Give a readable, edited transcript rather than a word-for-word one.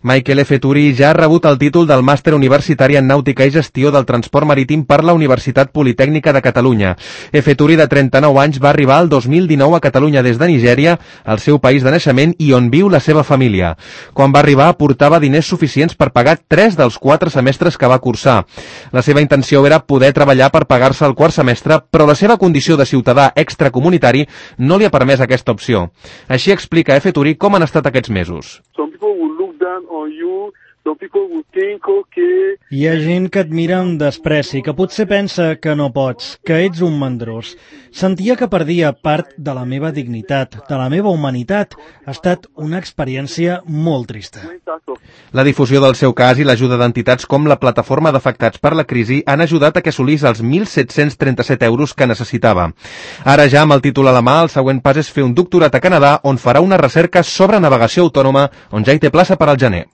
Michael F. Turi ja ha rebut el títol del màster universitari en nàutica i gestió del transport marítim per la Universitat Politècnica de Catalunya. F. Turi, de 39 anys, va arribar el 2019 a Catalunya des de Nigèria, el seu país de naixement i on viu la seva família. Quan va arribar, portava diners suficients per pagar 3 dels 4 semestres que va cursar. La seva intenció era poder treballar per pagar-se el quart semestre, però la seva condició de ciutadà extracomunitari no li ha permès aquesta opció. Així explica F. Turi com han estat aquests mesos. Hi ha gent que et mira amb despreci, que potser pensa que no pots, que ets un mandrós. Sentia que perdia part de la meva dignitat, de la meva humanitat. Ha estat una experiència molt trista. La difusió del seu cas i l'ajuda d'entitats com la Plataforma d'Afectats per la Crisi han ajudat a que assolís els 1.737 euros que necessitava. Ara ja amb el títol a la mà, el següent pas és fer un doctorat a Canadà on farà una recerca sobre navegació autònoma on ja hi té plaça per al gener.